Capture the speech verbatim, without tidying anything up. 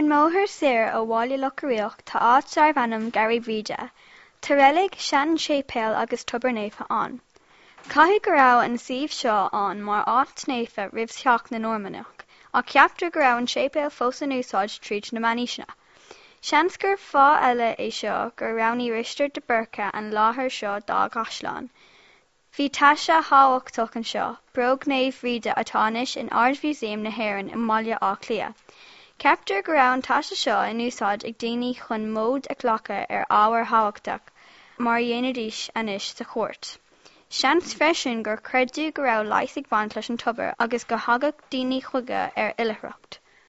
Ar an mbóthar soir ó Bhaile Locha Riach tá áit darb ainm Garraí Bhríde. Tá reilig, seanséipéal agus tobar naofa ann. Caithfidh go raibh an suíomh seo ann mar áit naofa roimh theacht na Normannach, ach ceaptar go raibh an séipéal fós in úsáid tríd na meánaoiseanna. Seans gur fáth eile é seo gur roghnaigh Risteard de Búrca an láthair seo dá chaisleán. Bhí taise thábhachtach anseo, bróg Naomh Bhríde atá anois in Ard-Mhúsaem na hÉireann i mBaile Átha Cliath. Ceaptar go raibh an taise seo in úsáid ag daoine chun móid a ghlacadh ar ábhair thábhachtacha mar a dhéanfaidís anois sa chúirt. Seans freisin gur creideadh go raibh leigheas ag baint leis an tobar agus go dtagadh daoine chuige ar oilithreacht.